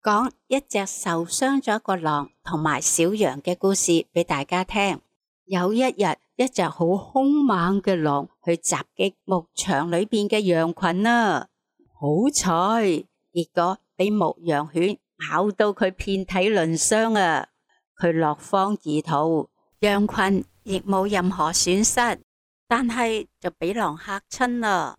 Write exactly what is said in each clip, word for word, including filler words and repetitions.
講一隻受傷咗個狼同埋小羊嘅故事俾大家聽。有一日，一隻好兇猛嘅狼去襲擊牧場裏邊嘅羊群啊！好彩，結果俾牧羊犬咬到佢遍體鱗傷啊！佢落荒而逃，羊群亦冇任何損失，但係就俾狼嚇親啦。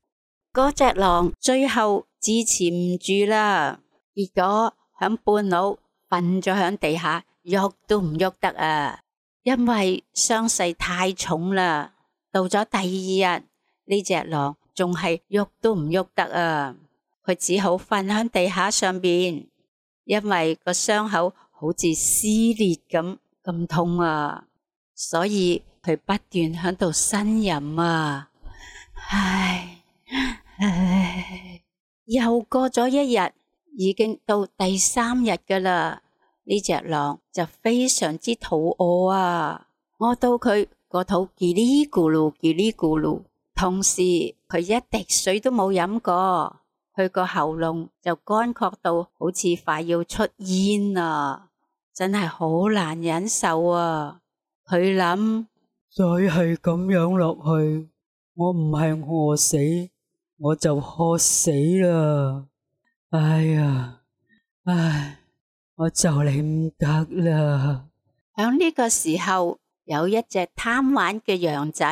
嗰隻狼最後支持唔住啦，結果響半路瞓咗響地下，喐都唔喐得啊！因為傷勢太重啦。到咗第二日，呢隻狼仲係喐都唔喐得啊！佢只好瞓響地下上邊，因為個傷口好似撕裂咁咁痛啊，所以佢不斷響度呻吟啊！唉唉，又過咗一日，已經到第三日噶啦。呢隻狼就非常之肚餓啊，餓到佢個肚嘰哩咕嚕嘰哩咕嚕，同時佢一滴水都冇飲過，佢個喉嚨就乾涸到好似快要出煙啊，真係好難忍受啊！佢諗，再係咁樣落去，我唔係餓死，我就渴死啦！哎呀，唉！我就嚟唔得啦！響呢個時候，有一隻貪玩嘅羊仔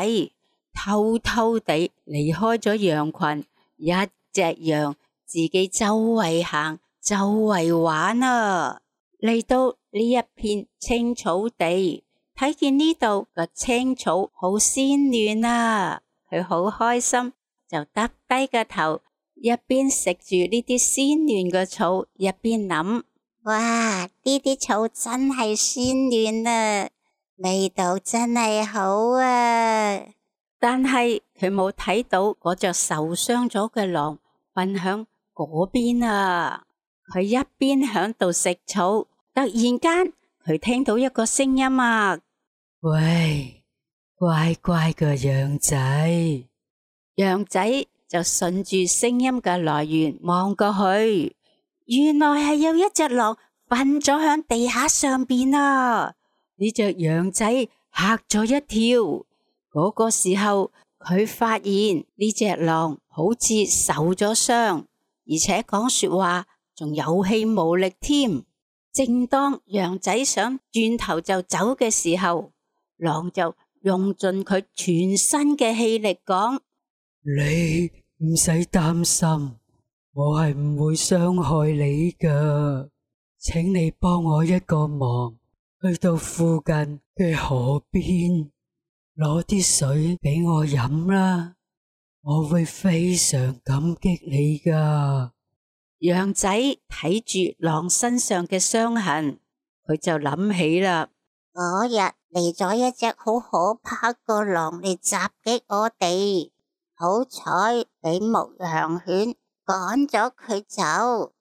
偷偷地離開咗羊群，一隻羊自己周圍行，周圍玩啊！嚟到呢一片青草地，睇見呢度個青草好鮮嫩啊，佢好開心，就耷低個頭，一邊食住呢啲鮮嫩嘅草，一邊諗。哇！呢啲草真係鮮嫩啊，味道真係好啊！但係佢冇睇到嗰隻受傷咗嘅狼瞓響嗰邊啊！佢一邊響度食草，突然間佢聽到一個聲音啊！喂，乖乖嘅羊仔！羊仔就順住聲音嘅來源望過去。原來係有一隻狼瞓咗響地下上邊啊！呢隻羊仔嚇咗一跳。嗰個時候，佢發現呢隻狼好似受咗傷，而且講說話仲有氣無力添。正當羊仔想轉頭就走嘅時候，狼就用盡佢全身嘅氣力講：你唔使擔心。我係唔會傷害你噶，請你幫我一個忙，去到附近嘅河邊攞啲水俾我飲啦，我會非常感激你噶。羊仔睇住狼身上嘅傷痕，佢就諗起啦，嗰日嚟咗一隻好可怕個狼嚟襲擊我哋，好彩俾牧羊犬趕咗佢走，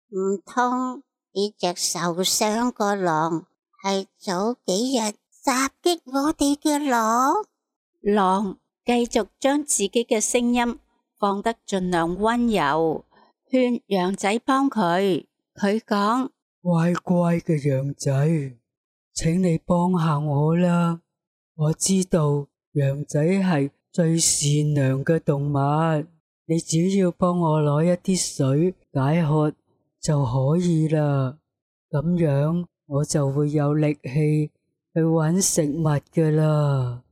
唔通呢隻受傷個狼係早幾日襲擊我哋嘅狼？狼繼續將自己嘅聲音放得盡量溫柔，勸羊仔幫佢。佢講：乖乖嘅羊仔，請你幫下我啦！我知道羊仔係最善良嘅動物。你只要幫我攞一啲水解渴就可以啦，咁樣我就會有力氣去搵食物噶啦。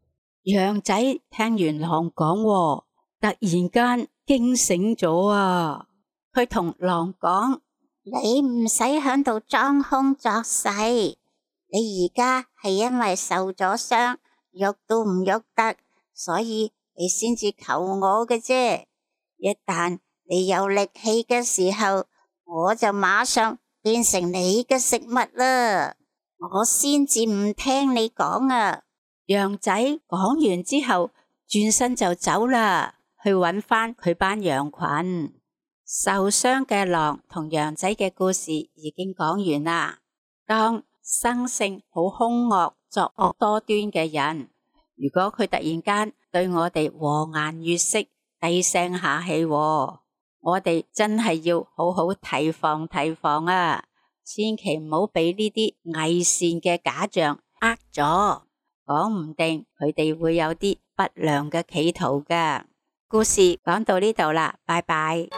羊仔聽完狼講，突然間驚醒咗啊！佢同狼講：你唔使響度裝腔作勢，你而家係因為受咗傷，喐都唔喐得，所以你先至求我嘅啫。一旦你有力氣嘅時候，我就馬上變成你嘅食物啦，我先至唔聽你講啊！羊仔講完之後，轉身就走啦，去搵返佢班羊群。受傷嘅狼同羊仔嘅故事已經講完啦。當生性好兇惡、作惡多端嘅人，如果佢突然間對我哋和顏悅色、低聲下氣，我哋真係要好好提防提防啊！千祈唔好俾呢啲偽善嘅假象呃咗，講唔定佢哋會有啲不良嘅企圖㗎。故事講到呢度啦，拜拜。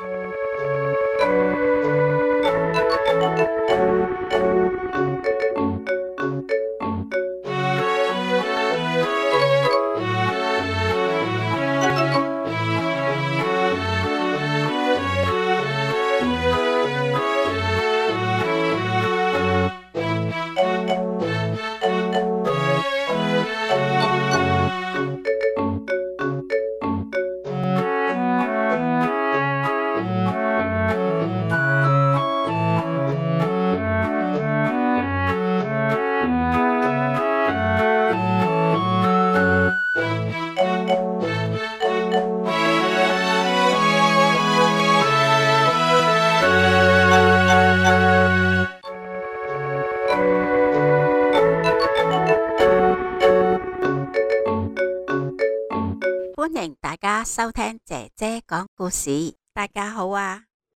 歡迎大家收聽姐姐講故事。大家好啊！